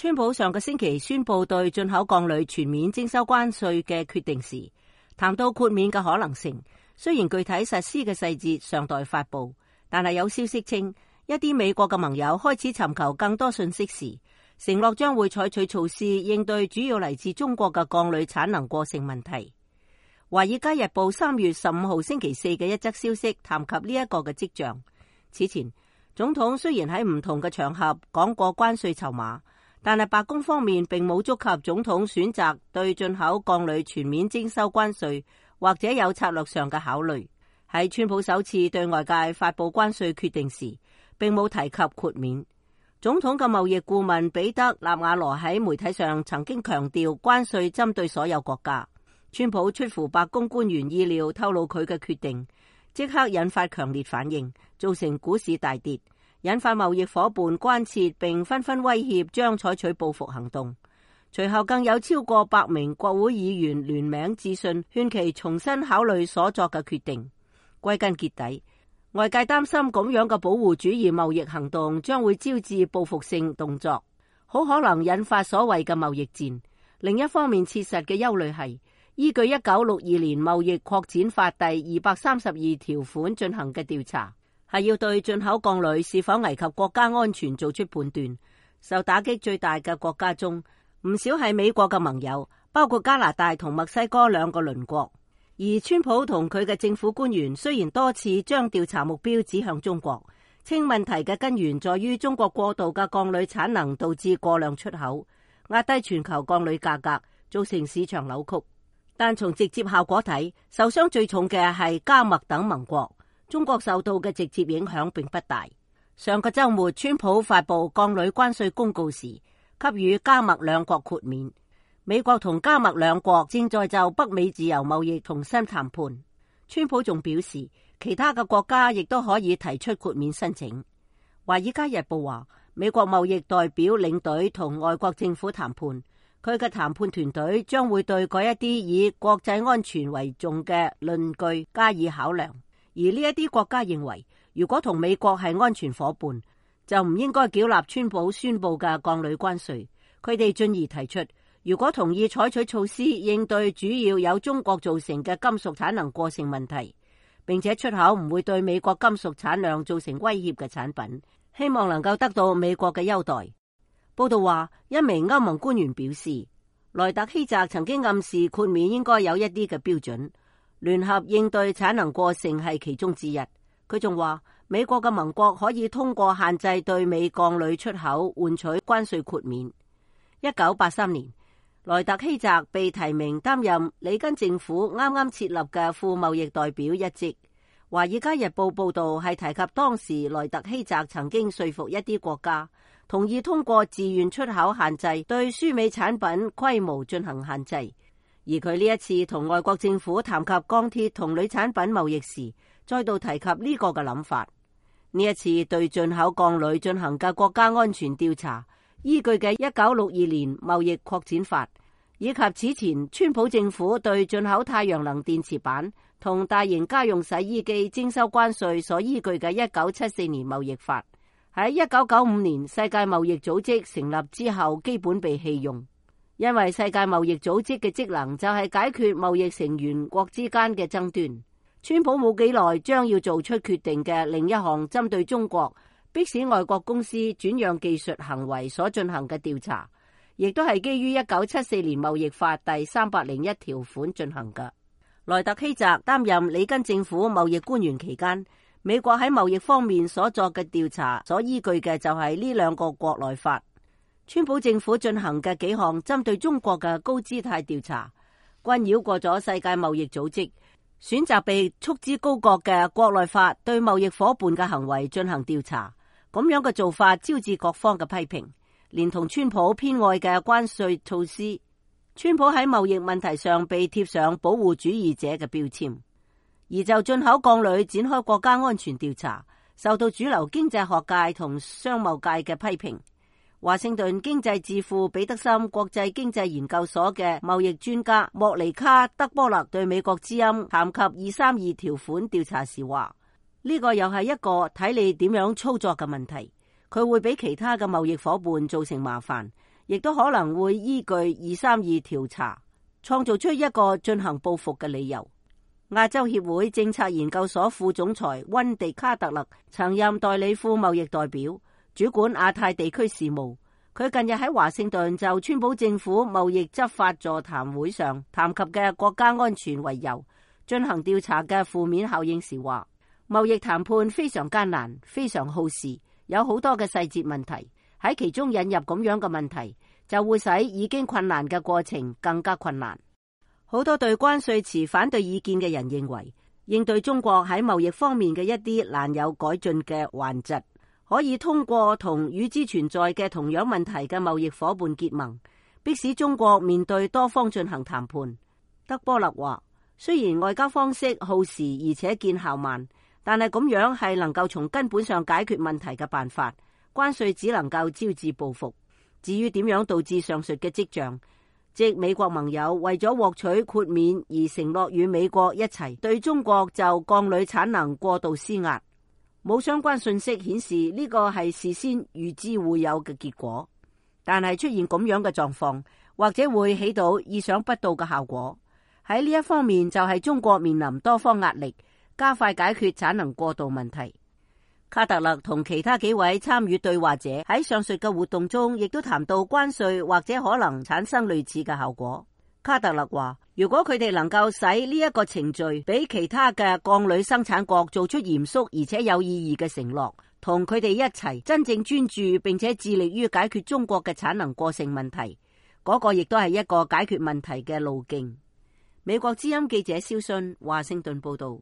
川普上個星期宣布對進口鋼鋁全面徵收關稅嘅決定時，談到豁免嘅可能性。雖然具體實施嘅細節尚待發布，但係有消息稱，一啲美國嘅盟友開始尋求更多信息時，承諾將會採取措施應對主要嚟自中國嘅鋼鋁產能過剩問題。華爾街日報3月15號星期四嘅一則消息談及呢一個嘅跡象。此前，總統雖然喺唔同嘅場合講過關稅籌碼，但係白宮方面並冇觸及總統選擇對進口鋼鋁全面徵收關稅，或者有策略上嘅考慮。喺川普首次對外界發布關稅決定時，並冇提及豁免。總統嘅貿易顧問彼得納瓦羅喺媒體上曾經強調，關稅針對所有國家。川普出乎白宮官員意料透露佢嘅決定，即刻引發強烈反應，造成股市大跌，引發貿易夥伴關切，並紛紛威脅將採取報復行動。隨後更有超過100名國會議員聯名致信，勸其重新考慮所作嘅決定。歸根結底，外界擔心咁樣嘅保護主義貿易行動將會招致報復性動作，好可能引發所謂嘅貿易戰。另一方面，切實嘅憂慮係依據1962年貿易擴展法第232條款進行嘅調查，係要對進口鋼鋁是否危及國家安全做出判斷。受打擊最大嘅國家中，唔少係美國嘅盟友，包括加拿大同墨西哥兩個鄰國。而川普同佢嘅政府官員雖然多次將調查目標指向中國，稱問題嘅根源在於中國過度嘅鋼鋁產能導致過量出口，壓低全球鋼鋁價格，造成市場扭曲。但從直接效果睇，受傷最重嘅係加墨等盟國，中國受到嘅直接影響並不大。上個週末，川普發布鋼鋁關稅公告時，給予加墨兩國豁免。美國同加墨兩國正在就北美自由貿易重新談判。川普仲表示，其他嘅國家亦都可以提出豁免申請。華爾街日報話，美國貿易代表領隊同外國政府談判，佢嘅談判團隊將會對嗰一啲以國際安全為重嘅論據加以考量。而呢一啲國家認為，如果同美國係安全夥伴，就唔應該繳納川普宣布嘅鋼鋁關稅。佢哋進而提出，如果同意採取措施應對主要由中國造成嘅金屬產能過剩問題，並且出口唔會對美國金屬產量造成威脅嘅產品，希望能夠得到美國嘅優待。報道話，一名歐盟官員表示，萊特希澤曾經暗示豁免應該有一啲嘅標準，聯合應對產能過剩係其中之一。佢仲話，美國嘅盟國可以通過限制對美鋼鋁出口換取關稅豁免。1983年，萊特希澤被提名擔任里根政府啱啱設立嘅副貿易代表一職。華爾街日報報道係提及當時萊特希澤曾經說服一啲國家同意通過自願出口限制對輸美產品規模進行限制。而佢呢一次同外國政府談及鋼鐵同鋁產品貿易時，再度提及呢個嘅諗法。呢一次對進口鋼鋁進行嘅國家安全調查，依據嘅1962年貿易擴展法，以及此前川普政府對進口太陽能電池板同大型家用洗衣機徵收關稅所依據嘅1974年貿易法，喺1995年世界貿易組織成立之後基本被棄用，因為世界貿易組織嘅職能就係解決貿易成員國之間嘅爭端。川普冇幾耐將要做出決定嘅另一項針對中國迫使外國公司轉讓技術行為所進行嘅調查，亦都係基於1974年貿易法第301條款進行嘅。萊特希澤擔任里根政府貿易官員期間，美國喺貿易方面所作嘅調查所依據嘅就係呢兩個國內法。川普政府進行嘅幾項針對中國嘅高姿態調查，均繞過咗世界貿易組織，選擇被束之高閣嘅國內法對貿易夥伴嘅行為進行調查。咁樣嘅做法招致各方嘅批評，連同川普偏愛嘅關稅措施，川普喺貿易問題上被貼上保護主義者嘅標籤。而就進口鋼鋁展開國家安全調查，受到主流經濟學界同商貿界嘅批評。華盛頓經濟智庫彼得森國際經濟研究所嘅貿易專家莫尼卡德波勒對美國之音談及232條款調查時話，呢個又係一個睇你點樣操作嘅問題，佢會俾其他嘅貿易夥伴造成麻煩，亦都可能會依據232調查，創造出一個進行報復嘅理由。亞洲協會政策研究所副總裁溫迪卡特勒曾任代理副貿易代表，主管亞太地區事務。佢近日喺華盛頓就川普政府貿易執法座談會上談及嘅國家安全為由進行調查嘅負面效應時話，貿易談判非常艱難，非常耗時，有好多嘅細節問題，喺其中引入咁樣嘅問題，就會使已經困難嘅過程更加困難。好多對關稅持反對意見嘅人認為，應對中國喺貿易方面嘅一啲難有改進嘅頑疾，可以通過同與之存在嘅同樣問題嘅貿易夥伴結盟，迫使中國面對多方進行談判。德波勒話，雖然外交方式耗時而且見效慢，但係咁樣係能夠從根本上解決問題嘅辦法。關稅只能夠招致報復。至於點樣導致上述嘅跡象，即美國盟友為咗獲取豁免而承諾與美國一齊對中國就鋼鋁產能過度施壓。冇相關信息顯示呢個係事先預知會有嘅結果，但係出現咁樣嘅狀況，或者會起到意想不到嘅效果。喺呢一方面就係中國面臨多方壓力，加快解決產能過度問題。卡特勒同其他幾位參與對話者喺上述嘅活動中，亦都談到關稅或者可能產生類似嘅效果。卡特勒話，如果佢哋能夠使呢一個程序俾其他嘅鋼鋁生產國做出嚴肅而且有意義嘅承諾，同佢哋一齊真正專注並且致力於解決中國嘅產能過剩問題，嗰個亦都係一個解決問題嘅路徑。美國之音記者蕭信華盛頓報道。